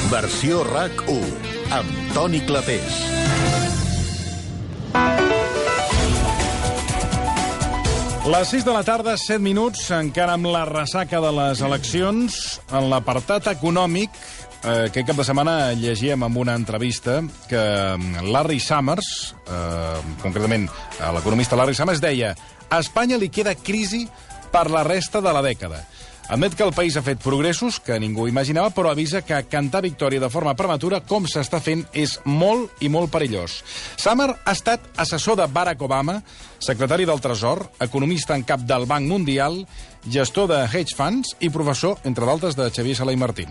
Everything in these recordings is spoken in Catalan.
Versió RAC1, amb Toni Clapés. Les 6 de la tarda, 7 minuts, encara amb la ressaca de les eleccions. En l'apartat econòmic, aquest cap de setmana llegíem en una entrevista que Larry Summers, concretament l'economista Larry Summers, deia: a Espanya li queda crisi per la resta de la dècada. Admet que el país ha fet progressos que ningú imaginava, però avisa que cantar victòria de forma prematura, com s'està fent, és molt i molt perillós. Summer ha estat assessor de Barack Obama, secretari del Tresor, economista en cap del Banc Mundial, gestor de hedge funds i professor, entre d'altres, de Xavier Sala i Martín.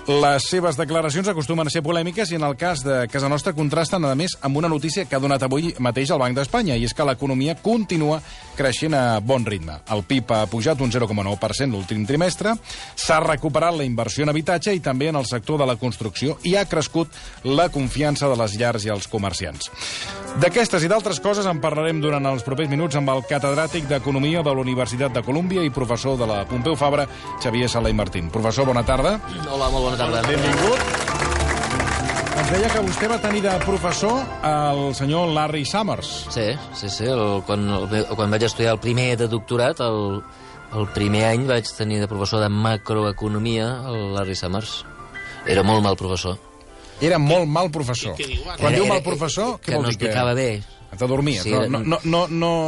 Les seves declaracions acostumen a ser polèmiques i en el cas de casa nostra contrasten, a més, amb una notícia que ha donat avui mateix al Banc d'Espanya, i és que l'economia continua creixent a bon ritme. El PIB ha pujat un 0,9% l'últim trimestre, s'ha recuperat la inversió en habitatge i també en el sector de la construcció, i ha crescut la confiança de les llars i els comerciants. D'aquestes i d'altres coses en parlarem durant els propers minuts amb el catedràtic d'Economia de la Universitat de Colúmbia i professor de la Pompeu Fabra, Xavier Sala i Martín. Professor, bona tarda. Hola, molt bona tarda. Benvingut. Ens deia que vostè va tenir de professor el senyor Larry Summers. Sí. Quan vaig estudiar el primer de doctorat, el primer any vaig tenir de professor de macroeconomia el Larry Summers. Era molt mal professor. Era molt mal professor. Quan diu mal professor, què vol dir? Que no explicava bé. T'adormies. Sí, no.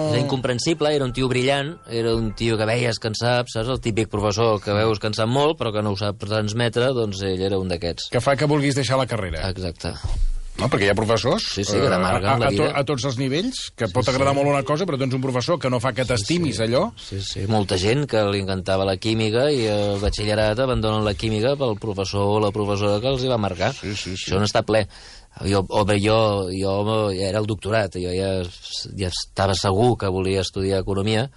Era incomprensible, era un tio brillant, era un tio que veies que en sap, saps? El típic professor que veus que en sap molt, però que no ho sap transmetre, doncs ell era un d'aquests. Que fa que vulguis deixar la carrera. Exacte. No, perquè hi ha professors que t'amarguen la vida. A tots els nivells, que pot agradar molt una cosa, però tens un professor que no fa que t'estimis allò. Sí. Molta gent que li encantava la química i el batxillerat abandonen la química pel professor o la professora que els hi va marcar. Sí. Això no està ple. Jo era el doctorat, jo ja estava segur que volia estudiar economia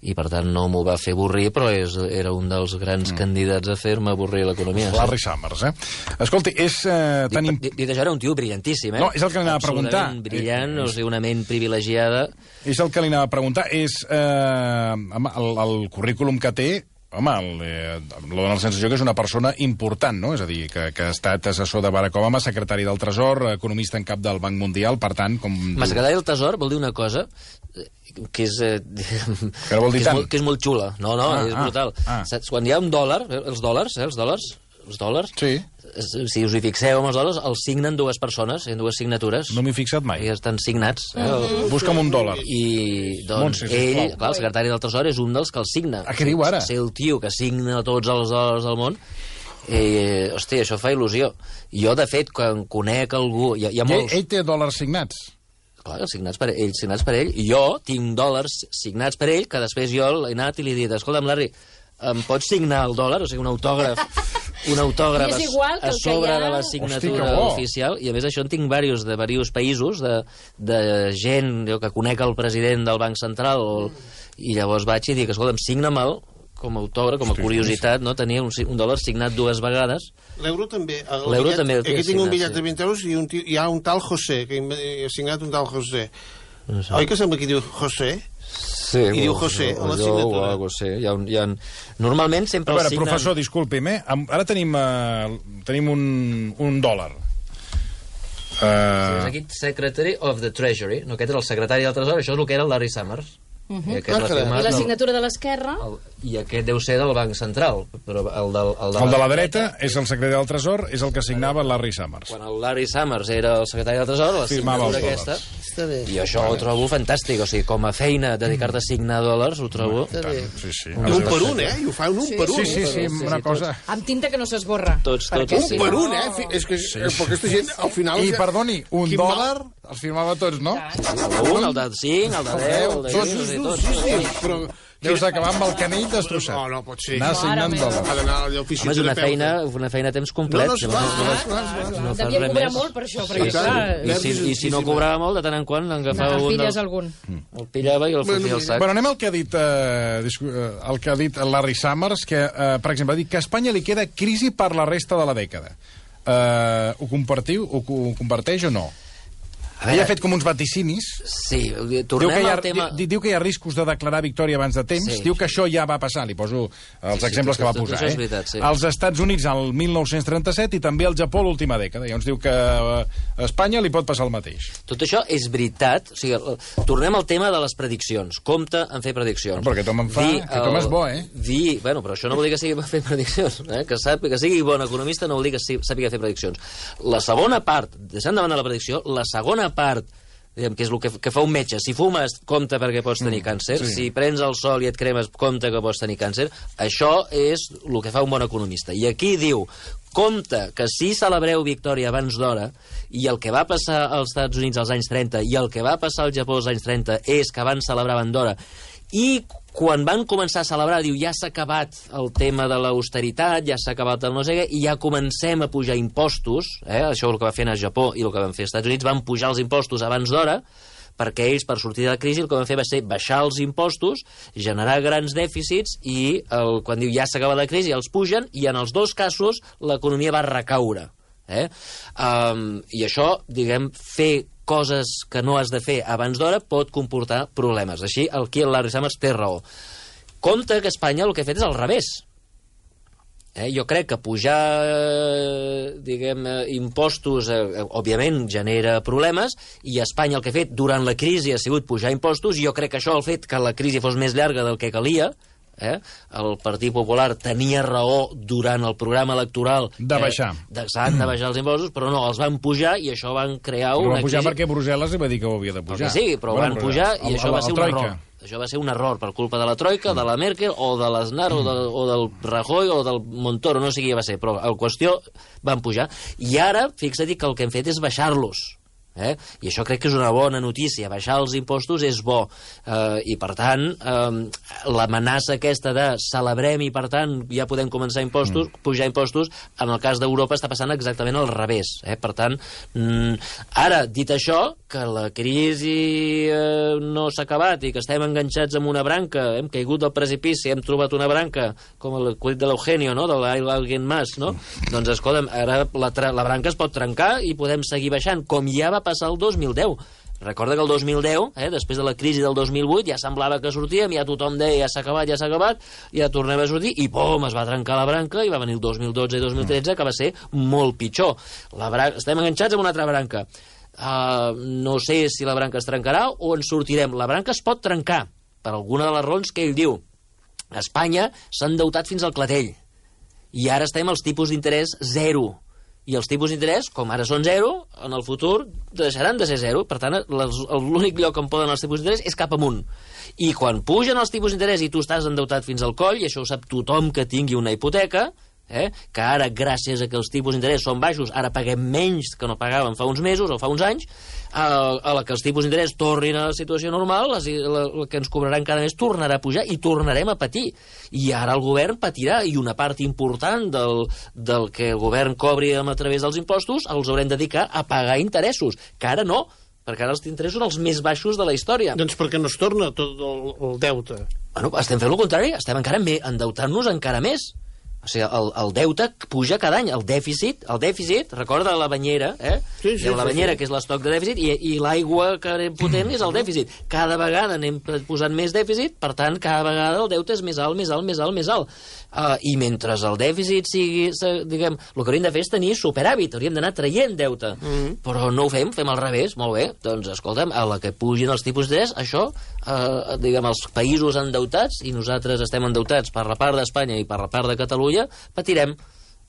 i, per tant, no m'ho va fer avorrir, però era un dels grans candidats a fer-me avorrir l'economia. Larry Summers, Escolti, és tan... Dit això, era un tio brillantíssim, No, és el que li anava a preguntar. Absolutament brillant, o sigui, una ment privilegiada. És el que li anava a preguntar. És el currículum que té... Home, lo dona la sensació que és una persona important, no? És a dir, que ha estat assessor de Barack Obama, secretari del Tresor, economista en cap del Banc Mundial, per tant... Secretari del Tresor vol dir una cosa que és... Que no vol dir tant? Que és molt xula. No, és brutal. Saps? Quan hi ha un dòlar, els dòlars... Sí. Si us hi fixeu amb els dòlars, els signen dues persones, en dues signatures. No m'hi he fixat mai. I estan signats. Busca'm un dòlar. I, doncs, ell, clar, el secretari del Tresor és un dels que els signa. Què diu ara? Ser el tio que signa tots els dòlars del món. Hòstia, això fa il·lusió. Jo, de fet, quan conec algú... Hi ha molts... Ell té dòlars signats? Clar, signats per ell. I jo tinc dòlars signats per ell, que després jo he anat i li he dit: escolta'm, Larry, em pots signar el dòlar? O sigui, un autògraf a sobre de la signatura oficial. I a més això en tinc diversos de diversos països, de gent que conec el president del Banc Central, i llavors vaig i dic: escolta'm, signa-me'l com a autògraf, com a curiositat, no? Tenir un dòlar signat dues vegades. L'euro també. L'euro també el té aquí tinc un bitllet de 20 euros i hi ha un tal José, que ha signat un tal José. Oi que sembla que diu José? Sí, i diu José a la signatura. Normalment sempre el signen... Professor, disculpi'm, ara tenim un dòlar. És aquí Secretary of the Treasury, no? Aquest era el secretari del Tresor, això és el que era el Larry Summers. I la signatura de l'esquerra? I aquest deu ser del Banc Central, però el de la dreta és el secretari del Tresor, és el que signava Larry Summers. Quan el Larry Summers era el secretari del Tresor, la signatura aquesta... I això ho trobo fantàstic, o sigui, com a feina, dedicar-te a signar dòlars, ho trobo... Sí. Un per un, I ho fa un per un. Sí, una cosa... Amb tinta que no s'esborra. Tots. Un per un, És que aquesta gent, al final... I, perdoni, un dòlar els firmava tots, no? El de 5, el de 10, el de 20... Sí, però... Deus acabar amb el canell destrossat. No pot ser. Anar signant dòlars. Ha d'anar a l'ofici és una feina a temps complet. Devia cobrar molt per això. I si no cobrava molt, de tant en quant agafava algun. El pillava i el fotia al sac. Bueno, anem al que ha dit Larry Summers, que, per exemple, ha dit que a Espanya li queda crisi per la resta de la dècada. Ho comparteix o no? Ell ha fet com uns vaticinis. Sí, tornem al tema... Diu que hi ha riscos de declarar victòria abans de temps. Diu que això ja va passar. Li poso els exemples que va posar. Això és veritat, sí. Als Estats Units al 1937 i també al Japó l'última dècada. Llavors diu que a Espanya li pot passar el mateix. Tot això és veritat. O sigui, tornem al tema de les prediccions. Compte en fer prediccions. Perquè tothom en fa... Que tothom és bo, Bueno, però això no vol dir que sigui fer prediccions. Que sigui bon economista no vol dir que sàpiga fer prediccions. La segona part, deixant de banda la predicció, la segona part, diguem, que és el que fa un metge. Si fumes, compte perquè pots tenir càncer. Si prens el sol i et cremes, compte que pots tenir càncer. Això és el que fa un bon economista. I aquí diu, compte que si celebreu victòria abans d'hora, i el que va passar als Estats Units als anys 30 i el que va passar al Japó als anys 30 és que van celebrar abans d'hora, i quan van començar a celebrar, diu, ja s'ha acabat el tema de l'austeritat, ja s'ha acabat el no sé què, i ja comencem a pujar impostos, això és el que va fer al Japó i el que van fer als Estats Units, van pujar els impostos abans d'hora, perquè ells, per sortir de la crisi, el que van fer va ser baixar els impostos, generar grans dèficits, i quan diu ja s'ha acabat la crisi, els pugen, i en els dos casos l'economia va recaure. I això, diguem, fer coses que no has de fer abans d'hora pot comportar problemes. Així, aquí el Larry Summers té raó. Compte que Espanya el que ha fet és al revés. Jo crec que pujar, diguem, impostos, òbviament, genera problemes, i Espanya el que ha fet durant la crisi ha sigut pujar impostos, i jo crec que això ha fet que la crisi fos més llarga del que calia. El Partit Popular tenia raó durant el programa electoral de baixar. S'han de baixar els impostos, però no, els van pujar i això van crear una crisi. Van pujar perquè Brussel·les va dir que ho havia de pujar. Sí, però van pujar i això va ser un error. Això va ser un error per culpa de la Troika, de la Merkel, o de l'Aznar, o del Rajoy, o del Montoro, no sé qui va ser, però en qüestió van pujar. I ara, fixa't que el que hem fet és baixar-los. I això crec que és una bona notícia. Baixar els impostos és bo, i per tant l'amenaça aquesta de celebrem i per tant ja podem començar pujar impostos, en el cas d'Europa està passant exactament al revés. Per tant, ara, dit això, que la crisi no s'ha acabat i que estem enganxats amb una branca, hem caigut del precipici, hem trobat una branca, com el acudit de l'Eugenio, no? De l'Alguien Mas, no? Doncs escolta'm, ara la branca es pot trencar i podem seguir baixant, com ja va passar el 2010. Recorda que el 2010, després de la crisi del 2008, ja semblava que sortíem, ja tothom deia ja s'ha acabat, ja tornem a sortir, i pom, es va trencar la branca, i va venir el 2012 i 2013, que va ser molt pitjor. Estem enganxats amb una altra branca. No sé si la branca es trencarà o en sortirem. La branca es pot trencar, per alguna de les raons que ell diu. A Espanya s'ha endeutat fins al clatell, i ara estem als tipus d'interès zero. I els tipus d'interès, com ara són zero, en el futur deixaran de ser zero. Per tant, l'únic lloc on poden els tipus d'interès és cap amunt. I quan pugen els tipus d'interès i tu estàs endeutat fins al coll, i això ho sap tothom que tingui una hipoteca, que ara, gràcies a que els tipus d'interès són baixos, ara paguem menys que no pagàvem fa uns mesos o fa uns anys, a la que els tipus d'interès tornin a la situació normal, el que ens cobraran cada mes tornarà a pujar i tornarem a patir. I ara el govern patirà, i una part important del que el govern cobri a través dels impostos els haurem de dedicar a pagar interessos, que ara no, perquè ara els interessos són els més baixos de la història. Doncs perquè no es torna tot el deute? Bueno, estem fent el contrari, estem encara endeutant-nos encara més. O sigui, el deute puja cada any. El dèficit, recorda la banyera, Sí, la banyera, que és l'estoc de dèficit, i l'aigua que anem potent és el dèficit. Cada vegada anem posant més dèficit, per tant, cada vegada el deute és més alt, més alt, més alt, més alt. I mentre el dèficit sigui, diguem, el que hauríem de fer és tenir superàvit, hauríem d'anar traient deute. Però no ho fem al revés. Molt bé, doncs escolta'm, a la que pugin els tipus d'interès, això, diguem, els països endeutats, i nosaltres estem endeutats per la part d'Espanya i per la part de Catalunya, patirem.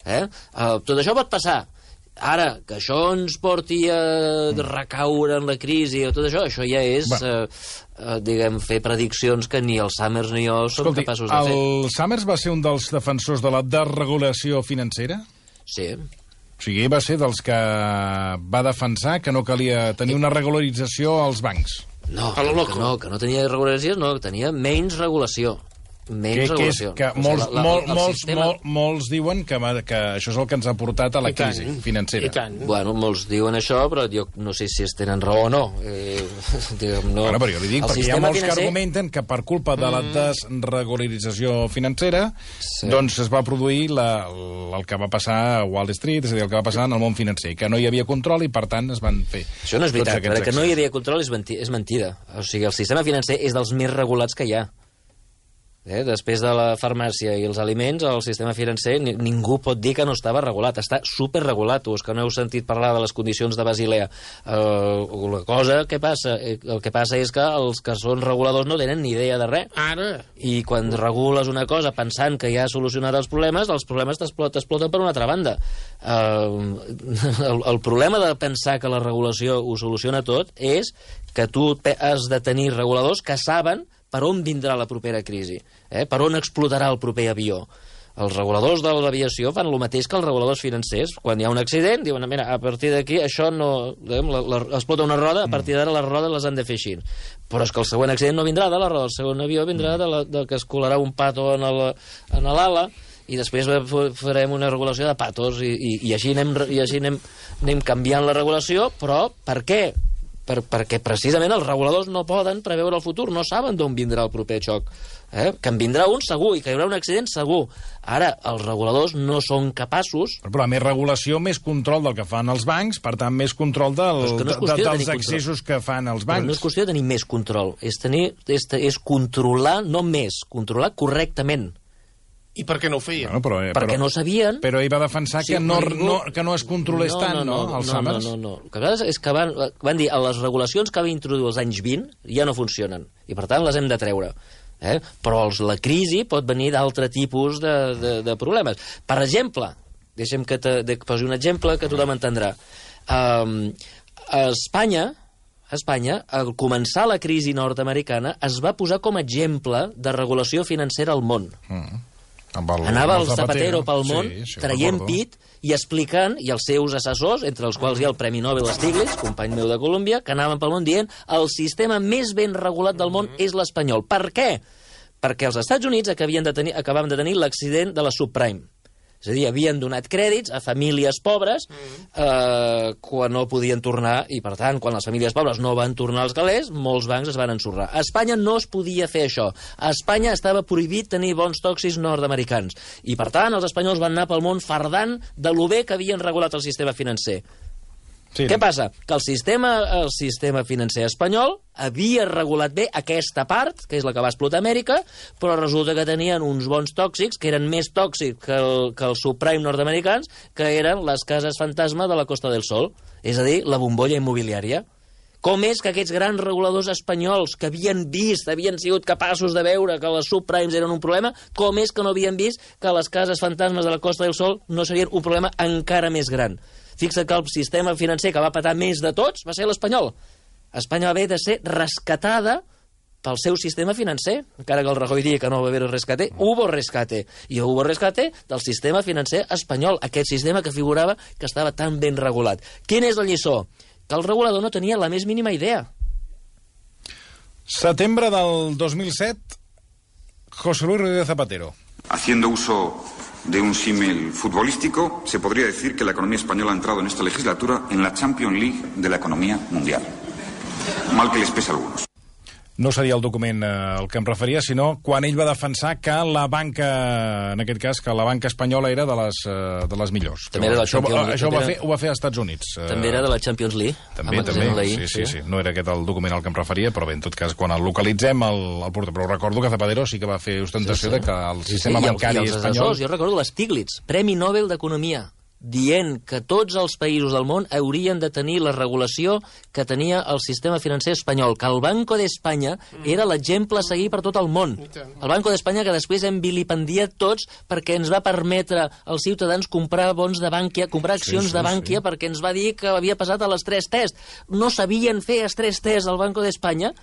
Tot això pot passar. Ara, que això ens porti a recaure en la crisi o tot això, això ja és, diguem, fer prediccions que ni el Summers ni jo som capaços de fer. El Summers va ser un dels defensors de la desregulació financera? Sí. O sigui, va ser dels que va defensar que no calia tenir una regularització als bancs. No, que no tenia regularització, no, que tenia menys regulació. menys regulació. Molts diuen que això és el que ens ha portat a la crisi financera. Bueno, molts diuen això, però jo no sé si es tenen raó o no. Bueno, però jo li dic, perquè hi ha molts que argumenten que per culpa de la desregularització financera doncs es va produir el que va passar a Wall Street, és a dir, el que va passar en el món financer, que no hi havia control i, per tant, es van fer... Això no és veritat, que no hi havia control és mentida. O sigui, el sistema financer és dels més regulats que hi ha. Després de la farmàcia i els aliments, el sistema financer, ningú pot dir que no estava regulat. Està superregulat. És que no heu sentit parlar de les condicions de Basilea. El que passa és que els que són reguladors no tenen ni idea de res. I quan regules una cosa pensant que ja ha solucionat els problemes t'exploten per una altra banda. El problema de pensar que la regulació ho soluciona tot és que tu has de tenir reguladors que saben per on vindrà la propera crisi, per on explotarà el proper avió. Els reguladors de l'aviació fan el mateix que els reguladors financers. Quan hi ha un accident, diuen, mira, a partir d'aquí això no... explota una roda, a partir d'ara les rodes les han de fer així. Però és que el següent accident no vindrà de la roda, el següent avió vindrà de que es colarà un pato en l'ala, i després farem una regulació de patos, i així anem canviant la regulació, però per què? Perquè precisament els reguladors no poden preveure el futur, no saben d'on vindrà el proper xoc. Que en vindrà un segur i que hi haurà un accident segur. Ara, els reguladors no són capaços... Però a més regulació, més control del que fan els bancs, per tant, més control dels excessos que fan els bancs. Però no és qüestió de tenir més control, és controlar, no més, controlar correctament. I per què no ho feien? Perquè no sabien... Però ell va defensar que no es controlés tant, no? Alzheimer's. No. El que és que van dir les regulacions que va introduir als anys 20 ja no funcionen, i per tant les hem de treure. Però la crisi pot venir d'altre tipus de problemes. Per exemple, deixa'm que posi un exemple que tothom entendrà. A Espanya, al començar la crisi nord-americana, es va posar com a exemple de regulació financera al món. Anava el Zapatero pel món traient pit i explicant, i els seus assessors, entre els quals hi ha el Premi Nobel Stiglitz, company meu de Colòmbia, que anaven pel món dient el sistema més ben regulat del món és l'espanyol. Per què? Perquè els Estats Units acabaven de tenir l'accident de la subprime. És a dir, havien donat crèdits a famílies pobres quan no podien tornar, i per tant, quan les famílies pobres no van tornar als calés, molts bancs es van ensorrar. A Espanya no es podia fer això. A Espanya estava prohibit tenir bons tòxics nord-americans. I per tant, els espanyols van anar pel món fardant de lo bé que havien regulat el sistema financer. Què passa? Que el sistema financer espanyol havia regulat bé aquesta part, que és la que va explotar Amèrica, però resulta que tenien uns bons tòxics, que eren més tòxics que els subprime nord-americans, que eren les cases fantasma de la Costa del Sol, és a dir, la bombolla immobiliària. Com és que aquests grans reguladors espanyols que havien sigut capaços de veure que les subprimes eren un problema, com és que no havien vist que les cases fantasmes de la Costa del Sol no serien un problema encara més gran? Fixa't que el sistema financer que va patar més de tots va ser l'espanyol. Espanya va haver de ser rescatada pel seu sistema financer, encara que el Rajoy digui que no va haver rescate, hubo rescate. I hubo rescate del sistema financer espanyol, aquest sistema que figurava que estava tan ben regulat. Quina és la lliçó? Que el regulador no tenia la més mínima idea. Setembre del 2007, José Luis Rodríguez Zapatero. Haciendo uso de un símil futbolístico, se podría decir que la economía española ha entrado en esta legislatura en la Champions League de la economía mundial. Mal que les pese a algunos. No seria el document al que em referia, sinó quan ell va defensar que la banca, en aquest cas, que la banca espanyola era de les millors. També era de la Champions League. Això ho va fer als Estats Units. També era de la Champions League. També. Sí. No era aquest el document al que em referia, però bé, en tot cas, quan el localitzem, el porta. Però recordo que Zapatero sí que va fer ostentació de que el sistema bancari espanyol... Jo recordo l'Stiglitz, Premi Nobel d'Economia, dient que tots els països del món haurien de tenir la regulació que tenia el sistema financer espanyol, que el Banco d'Espanya era l'exemple a seguir per tot el món. El Banco d'Espanya que després hem vilipendiat tots perquè ens va permetre als ciutadans comprar bons de Bànquia, comprar accions de Bànquia, perquè ens va dir que havia passat a l'estrès test. No sabien fer estrès test al Banco d'Espanya,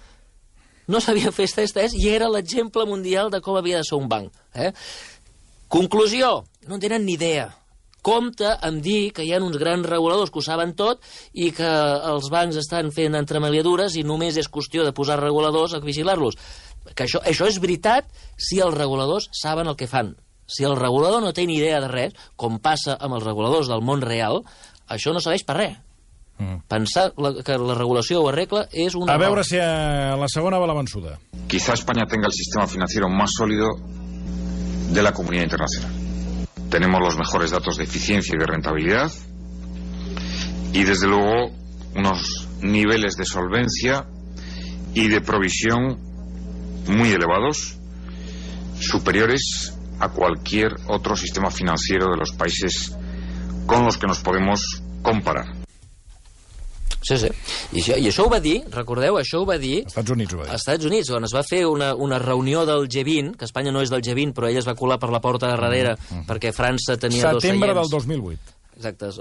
no sabien fer estrès test i era l'exemple mundial de com havia de ser un banc. Conclusió, no en tenen ni idea. compta amb dir que hi ha uns grans reguladors que ho saben tot i que els bancs estan fent entremaliadures i només és qüestió de posar reguladors a vigilar-los. Que això és veritat si els reguladors saben el que fan. Si el regulador no té ni idea de res, com passa amb els reguladors del món real, això no serveix per res. Pensar que la regulació ho arregla és una... A veure si a la segona va la vençuda. Quizá España tenga el sistema financiero más sólido de la comunidad internacional. Tenemos los mejores datos de eficiencia y de rentabilidad y desde luego unos niveles de solvencia y de provisión muy elevados, superiores a cualquier otro sistema financiero de los países con los que nos podemos comparar. Sí. I això ho va dir, recordeu, això ho va dir... Estats Units ho va dir. Als Estats Units, on es va fer una reunió del G20, que Espanya no és del G20, però ella es va colar per la porta de darrere, perquè França tenia dos seients. Setembre del 2008. Exacte,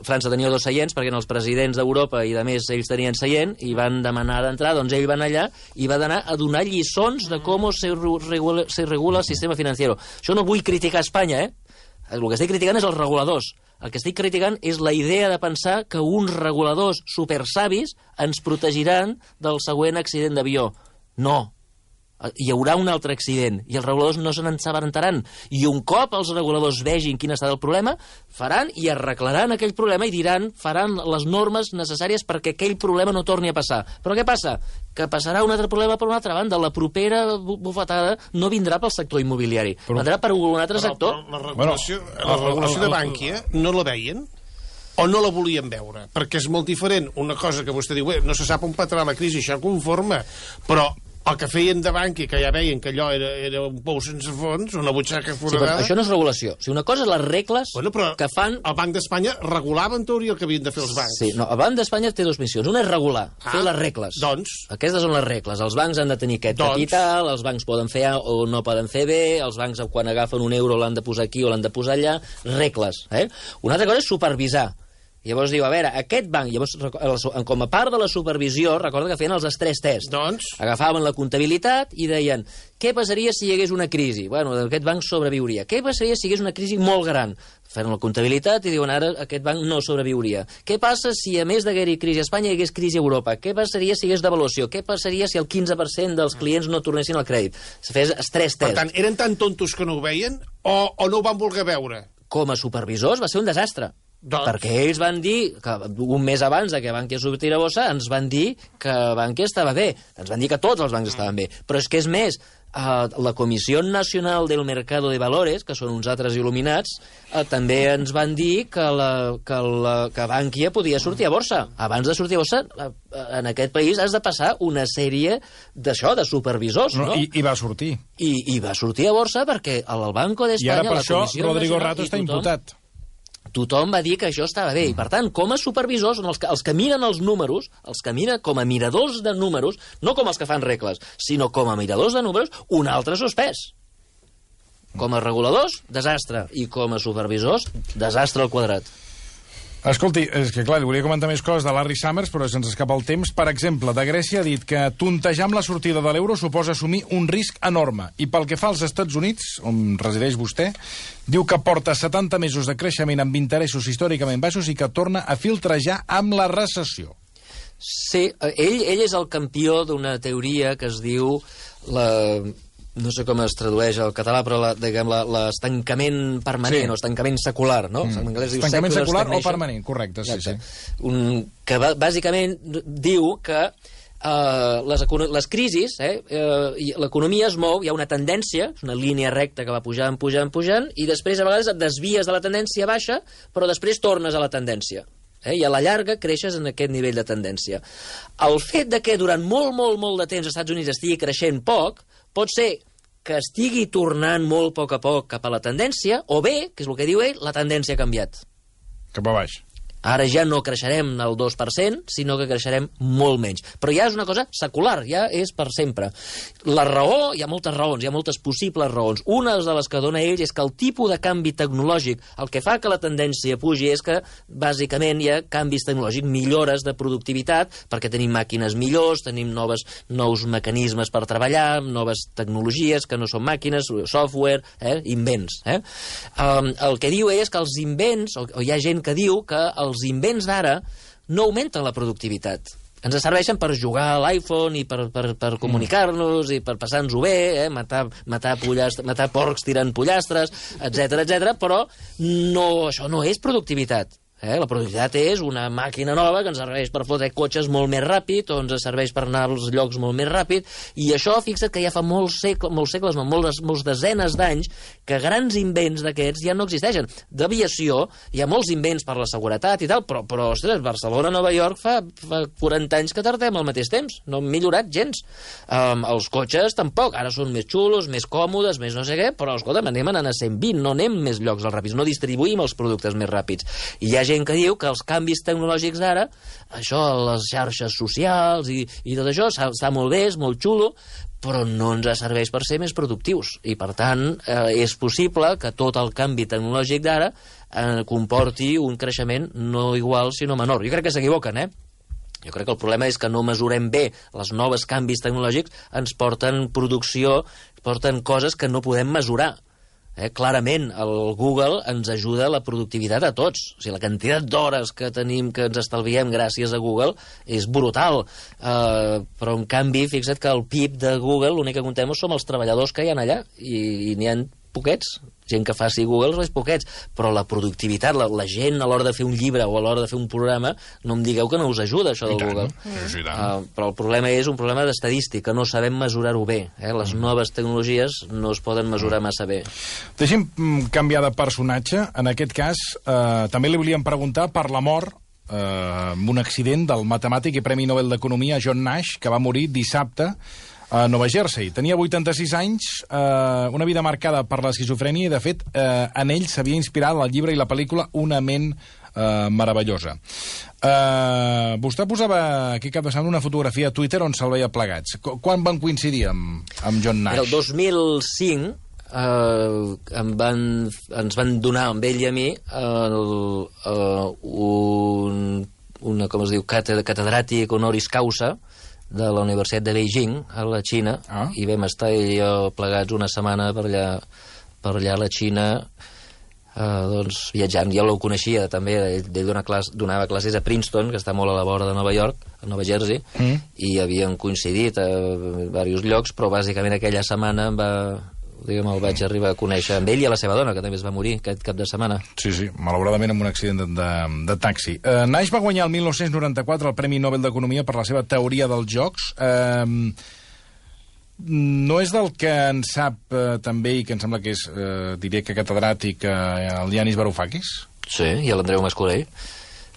França tenia dos seients, perquè els presidents d'Europa i de més ells tenien seient, i van demanar d'entrar, doncs ell va anar allà i va anar a donar lliçons de com se regula el sistema financiero. Jo no vull criticar Espanya, El que estic criticant és els reguladors. El que estic criticant és la idea de pensar que uns reguladors supersavis ens protegiran del següent accident d'avió. No. Hi haurà un altre accident i els reguladors no se n'assabentaran. I un cop els reguladors vegin quin ha estat el problema, faran i arreglaran aquell problema i faran les normes necessàries perquè aquell problema no torni a passar. Però què passa? Que passarà un altre problema per una altra banda. La propera bufetada no vindrà pel sector immobiliari, vindrà per un altre sector. Però la regulació de Bànquia no la veien? O no la volien veure? Perquè és molt diferent una cosa que vostè diu, no se sap on patrà la crisi, això conforma, però el que feien de Bànquia, que ja veien que allò era un pou sense fons, una butxaca foradada... Sí, això no és regulació. Si una cosa és les regles que fan... El Banc d'Espanya regulava, en teoria, el que havien de fer els bancs. Sí, no, el Banc d'Espanya té dues missions. Una és regular, fer les regles. Doncs... Aquestes són les regles. Els bancs han de tenir aquest capital, els bancs poden fer A o no poden fer B, els bancs quan agafen un euro l'han de posar aquí o l'han de posar allà. Regles. Una altra cosa és supervisar. Llavors diu, a veure, aquest banc, llavors, com a part de la supervisió, recorda que feien els stress test. Doncs... Agafaven la comptabilitat i deien, què passaria si hi hagués una crisi? Bueno, aquest banc sobreviuria. Què passaria si hi hagués una crisi molt gran? Feien la comptabilitat i diuen, ara aquest banc no sobreviuria. Què passa si, a més d'haver-hi crisi a Espanya, hi hagués crisi a Europa? Què passaria si hi hagués devaluació? Què passaria si el 15% dels clients no tornessin al crèdit? Se fes stress test. Per tant, eren tan tontos que no ho veien o no ho van voler veure? Com a supervisors va ser un desastre. Perquè ells van dir, que un mes abans que Bankia sortira a bossa, ens van dir que Bankia estava bé. Ens van dir que tots els bancs estaven bé. Però és que és més, la Comissió Nacional del Mercado de Valores, que són uns altres il·luminats, també ens van dir que Bankia podia sortir a borsa. Abans de sortir a borsa, en aquest país has de passar una sèrie d'això, de supervisors, no? I va sortir. I va sortir a borsa perquè el Banco d'Espanya... I ara per això Rodrigo Rato està imputat. Tothom va dir que això estava bé. I, per tant, com a supervisors, els que miren els números, els que miren com a miradors de números, no com els que fan regles, sinó com a miradors de números, un altre suspès. Com a reguladors, desastre. I com a supervisors, desastre al quadrat. Escolti, és que clar, li volia comentar més coses de Larry Summers, però se'ns escapa el temps. Per exemple, de Grècia ha dit que tontejar amb la sortida de l'euro suposa assumir un risc enorme. I pel que fa als Estats Units, on resideix vostè, diu que porta 70 mesos de creixement amb interessos històricament baixos i que torna a filtrejar amb la recessió. Sí, ell és el campió d'una teoria que es diu no sé com es tradueix al català, però l'estancament permanent, o estancament secular, no? Estancament secular o permanent, correcte, sí. Que bàsicament diu que les crisis, l'economia es mou, hi ha una tendència, una línia recta que va pujant, i després a vegades et desvies de la tendència baixa, però després tornes a la tendència. I a la llarga creixes en aquest nivell de tendència. El fet de que durant molt de temps als Estats Units estigui creixent poc, pot ser que estigui tornant molt a poc cap a la tendència, o bé, que és el que diu ell, la tendència ha canviat. Cap a baix. Ara ja no creixerem el 2%, sinó que creixerem molt menys. Però ja és una cosa secular, ja és per sempre. La raó, hi ha moltes raons, hi ha moltes possibles raons. Una de les que dona ell és que el tipus de canvi tecnològic, el que fa que la tendència pugi és que, bàsicament, hi ha canvis tecnològics, millores de productivitat, perquè tenim màquines millors, tenim nous mecanismes per treballar, noves tecnologies que no són màquines, software, invents. El que diu és que els invents, o hi ha gent que diu que els invents d'ara no augmenten la productivitat. Ens serveixen per jugar a l'iPhone i per comunicar-nos i per passar-nos-ho bé, matar porcs tirant pollastres, etc, però això no és productivitat. La productivitat és una màquina nova que ens serveix per fotre cotxes molt més ràpid o ens serveix per anar als llocs molt més ràpid, i això, fixa't que ja fa molts desenes d'anys que grans invents d'aquests ja no existeixen. D'aviació hi ha molts invents per la seguretat i tal, però ostres, Barcelona, Nova York fa 40 anys que tardem al mateix temps, no han millorat gens. Els cotxes tampoc, ara són més xulos, més còmodes, més no sé què, però escolta'm, anem anant a 120, no anem més llocs als ràpids, no distribuïm els productes més ràpids. I hi ha gent que diu que els canvis tecnològics d'ara, això, les xarxes socials i tot això, està molt bé, és molt xulo, però no ens serveix per ser més productius. I, per tant, és possible que tot el canvi tecnològic d'ara comporti un creixement no igual, sinó menor. Jo crec que s'equivoquen, Jo crec que el problema és que no mesurem bé els nous canvis tecnològics, ens porten producció, porten coses que no podem mesurar. Clarament, el Google ens ajuda a la productivitat a tots. O sigui, la quantitat d'hores que tenim, que ens estalviem gràcies a Google, és brutal. Però, en canvi, fixa't que el PIB de Google, l'únic que contem som els treballadors que hi ha allà, i n'hi ha poquets. Gent que faci Google és poquets, però la productivitat, la gent a l'hora de fer un llibre o a l'hora de fer un programa, no em digueu que no us ajuda això del Google. Però el problema és un problema d'estadística, no sabem mesurar-ho bé. Les noves tecnologies no es poden mesurar massa bé. Deixi'm canviar de personatge. En aquest cas, també li volíem preguntar per la mort amb un accident del matemàtic i Premi Nobel d'Economia John Nash, que va morir dissabte a Nova Jersey. Tenia 86 anys, una vida marcada per l'esquizofrènia i, de fet, en ell s'havia inspirat el llibre i la pel·lícula Una ment meravellosa. Vostè posava aquí cap de setmana una fotografia a Twitter on se'l veia plegats. Quan van coincidir amb John Nash? El 2005 ens van donar, amb ell i a mi, una, com es diu, catedràtic honoris causa de la Universitat de Beijing, a la Xina, i vam estar ell i jo plegats una setmana per allà a la Xina, viatjant. Jo el coneixia també, ell donava classes a Princeton, que està molt a la vora de Nova York, a Nova Jersey, i havien coincidit a diversos llocs, però bàsicament aquella setmana el vaig arribar a conèixer amb ell i a la seva dona, que també es va morir aquest cap de setmana. Sí, malauradament amb un accident de taxi. Nash va guanyar el 1994 el Premi Nobel d'Economia per la seva teoria dels jocs. No és del que en sap també, i que em sembla que és, diria que catedràtic, el Yanis Varoufakis? Sí, i l'Andreu Mascolell.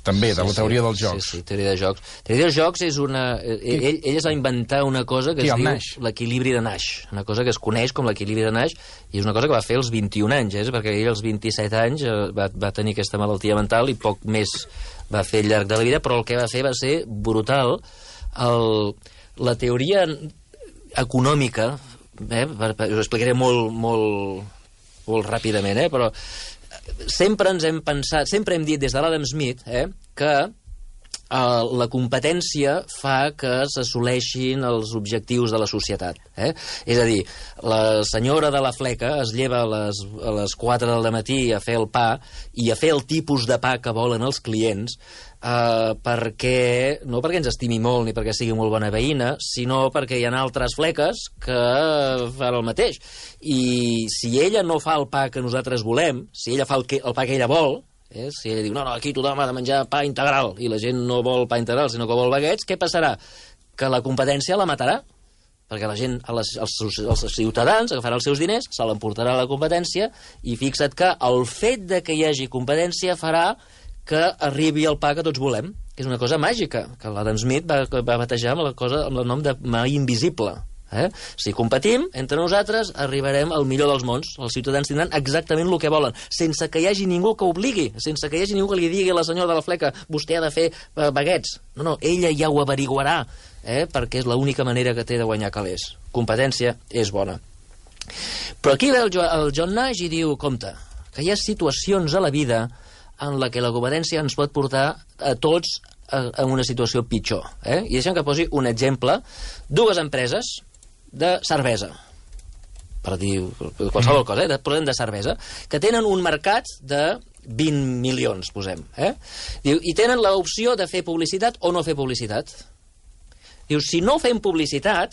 També, de la teoria dels jocs. Sí, teoria de jocs. Teoria dels jocs és una... Ell es va inventar una cosa que es diu l'equilibri de Nash. Una cosa que es coneix com l'equilibri de Nash, i és una cosa que va fer als 21 anys, perquè ell als 27 anys va tenir aquesta malaltia mental i poc més va fer al llarg de la vida, però el que va fer va ser brutal. La teoria econòmica, us ho explicaré molt ràpidament, però sempre ens hem pensat, sempre hem dit des de l'Adam Smith que la competència fa que s'assoleixin els objectius de la societat. És a dir, la senyora de la fleca es lleva a les 4 del matí a fer el pa i a fer el tipus de pa que volen els clients, no perquè ens estimi molt ni perquè sigui molt bona veïna, sinó perquè hi ha altres fleques que fan el mateix. I si ella no fa el pa que nosaltres volem, si ella fa el pa que ella vol, si ella diu, no, aquí tothom ha de menjar pa integral, i la gent no vol pa integral, sinó que vol baguets, què passarà? Que la competència la matarà, perquè la gent, els ciutadans agafaran els seus diners, se l'emportarà la competència, i fixa't que el fet de que hi hagi competència farà que arribi el pa que tots volem, que és una cosa màgica, que l'Adam Smith va batejar amb el nom de mà invisible. Si competim entre nosaltres, arribarem al millor dels mons. Els ciutadans tindran exactament el que volen, sense que hi hagi ningú que obligui, sense que hi hagi ningú que li digui a la senyora de la fleca vostè ha de fer baguets. No, ella ja ho averiguarà, perquè és l'única manera que té de guanyar calés. Competència és bona. Però aquí ve el John Nash i diu, compte, que hi ha situacions a la vida en la que la competència ens pot portar a tots en una situació pitjor. I deixem que posi un exemple. 2 empreses de cervesa, per dir qualsevol cosa, parlem de cervesa, que tenen un mercat de 20 milions, posem. I tenen l'opció de fer publicitat o no fer publicitat. Diu, si no fem publicitat,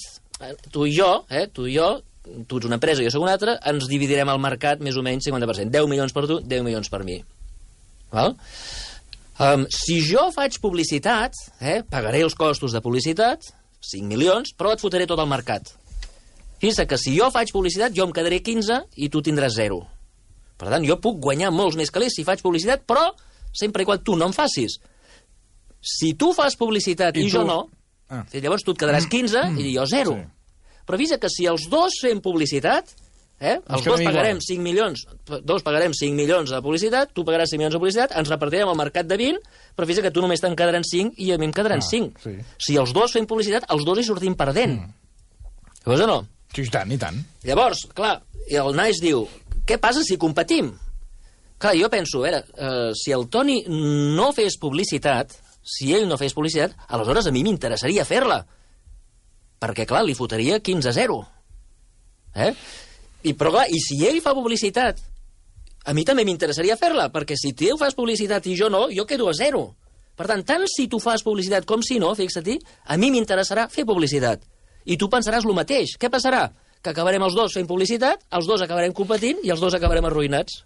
tu i jo, tu ets una empresa i jo soc una altra, ens dividirem el mercat més o menys 50%. 10 milions per tu, 10 milions per mi. Val? Si jo faig publicitat, pagaré els costos de publicitat, 5 milions, però et fotré tot el mercat. Fixa't que si jo faig publicitat, jo em quedaré 15 i tu tindràs 0. Per tant, jo puc guanyar molts més calés si faig publicitat, però sempre i quan tu no em facis. Si tu fas publicitat i jo no, llavors tu et quedaràs 15 i jo 0. Però fixa't que si els dos fem publicitat, els dos pagarem 5 milions, pagarem 5 milions de publicitat, tu pagaràs 5 milions de publicitat, ens repartirem el mercat de 20, però fixa't que tu només te'n quedaran 5 i a mi em quedaran 5. Sí. Si els dos fem publicitat, els dos hi sortim perdent. Veus o no? Sí, i tant, i tant. Llavors, clar, el Naix diu, què passa si competim? Clar, jo penso, si el Toni no fes publicitat, si ell no fes publicitat, aleshores a mi m'interessaria fer-la. Perquè, clar, li fotria 15-0. Però clar, i si ell fa publicitat, a mi també m'interessaria fer-la, perquè si tu fas publicitat i jo no, jo quedo a 0. Per tant si tu fas publicitat com si no, fixa-t'hi, a mi m'interessarà fer publicitat. I tu pensaràs el mateix. Què passarà? Que acabarem els dos fent publicitat, els dos acabarem competint i els dos acabarem arruïnats.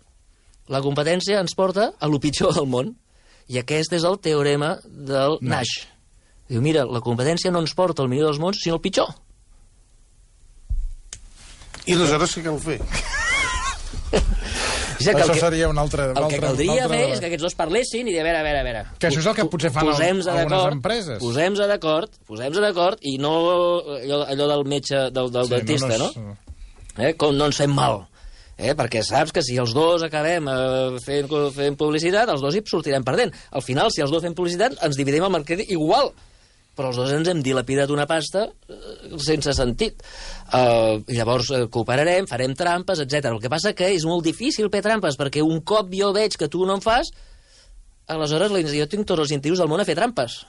La competència ens porta a lo pitjor del món. I aquest és el teorema del Nash. Diu, mira, la competència no ens porta al millor dels mons, sinó al pitjor. I aleshores què cal fer? Això seria un altre... El que caldria fer és que aquests dos parlessin i dir, a veure... Que això és el que potser fan algunes empreses. Posem-nos d'acord i no allò del metge, del dentista, no? Com no ens fem mal. Perquè saps que si els dos acabem fent publicitat, els dos hi sortirem perdent. Al final, si els dos fem publicitat, ens dividim el mercat igual. Però els dos ens hem dilapidat una pasta sense sentit. Llavors cooperarem, farem trampes, etc. El que passa que és molt difícil fer trampes, perquè un cop jo veig que tu no en fas, aleshores jo tinc tots els incentius del món a fer trampes.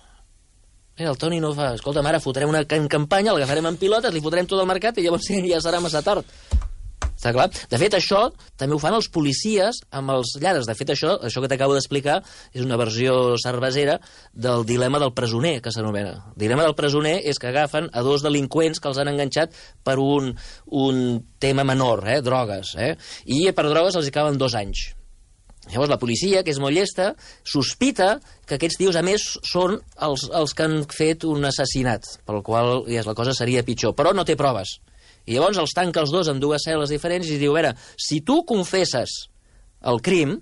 El Toni no fa... Escolta'm, ara fotrem una campanya, l'agafarem en pilotes, li fotrem tot el mercat i llavors ja serà massa tard. Està clar? De fet, això també ho fan els policies amb els lladres. De fet, això que t'acabo d'explicar és una versió cervesera del dilema del presoner, que s'anomena. El dilema del presoner és que agafen a 2 delinqüents que els han enganxat per un tema menor, drogues. I per drogues els hi acaben 2 anys. Llavors la policia, que és molt llesta, sospita que aquests tios, a més, són els que han fet un assassinat, pel qual la cosa seria pitjor. Però no té proves. I llavors els tanca els dos en 2 cel·les diferents i diu, a veure, si tu confesses el crim,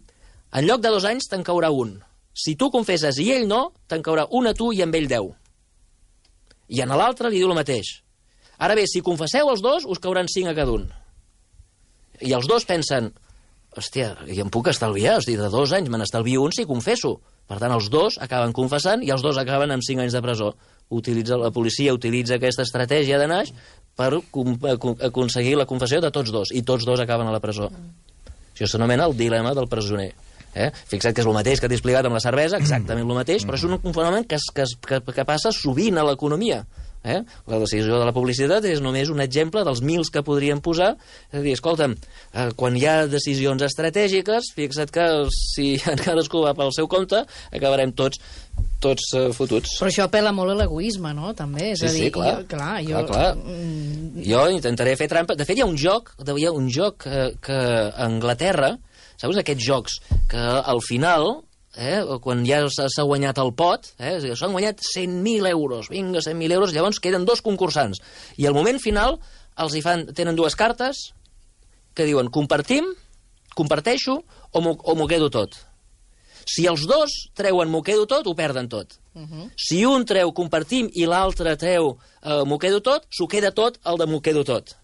en lloc de 2 anys te'n caurà 1. Si tu confesses i ell no, te'n caurà 1 a tu i amb ell 10. I a l'altre li diu el mateix. Ara bé, si confesseu els dos, us cauran 5 a cada un. I els dos pensen, hòstia, i em puc estalviar? De 2 anys me n'estalvio 1 si confesso. Per tant, els dos acaben confessant i els dos acaben amb 5 anys de presó. La policia utilitza aquesta estratègia de Nash per aconseguir la confessió de tots dos, i tots dos acaben a la presó. Això s'anomena el dilema del presoner. Fixa't que és el mateix que t'he explicat amb la cervesa, exactament el mateix, però és un fenomen que passa sovint a l'economia. La decisió de la publicitat és només un exemple dels 1000 que podríem posar. És a dir, escolta'm, quan hi ha decisions estratègiques, fixa't que si cadascú va pel seu compte, acabarem tots fotuts. Però això apel·la molt a l'egoisme, no? També, és a dir, clar. Jo intentaré fer trampa. De fet, hi ha un joc que a Anglaterra, saps aquests jocs que al final, quan ja s'ha guanyat el pot, s'han guanyat 100.000 euros, vinga, 100.000 euros, llavors queden 2 concursants. I al moment final tenen 2 cartes que diuen comparteixo o m'ho quedo tot. Si els dos treuen m'ho quedo tot, ho perden tot. Si un treu compartim i l'altre treu m'ho quedo tot, s'ho queda tot el de m'ho quedo tot.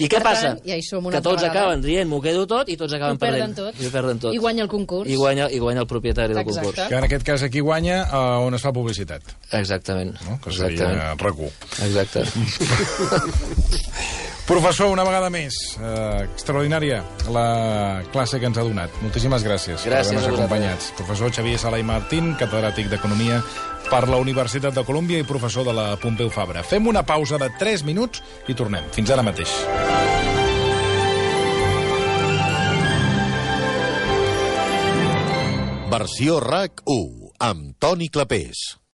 I què passa? Que tots acaben dient m'ho quedo tot i tots acaben perdent. I perden tot. I guanya el concurs. I guanya el propietari del concurs. Que en aquest cas aquí guanya on es fa publicitat. Exactament. No? Que seria RAC1. Exacte. Professor, una vegada més, extraordinària la classe que ens ha donat. Moltíssimes gràcies per haver-nos acompanyats. Professor Xavier Sala i Martín, catedràtic d'Economia per la Universitat de Colúmbia i professor de la Pompeu Fabra. Fem una pausa de 3 minuts i tornem. Fins ara mateix. Versió RAC1 amb Toni Clapés.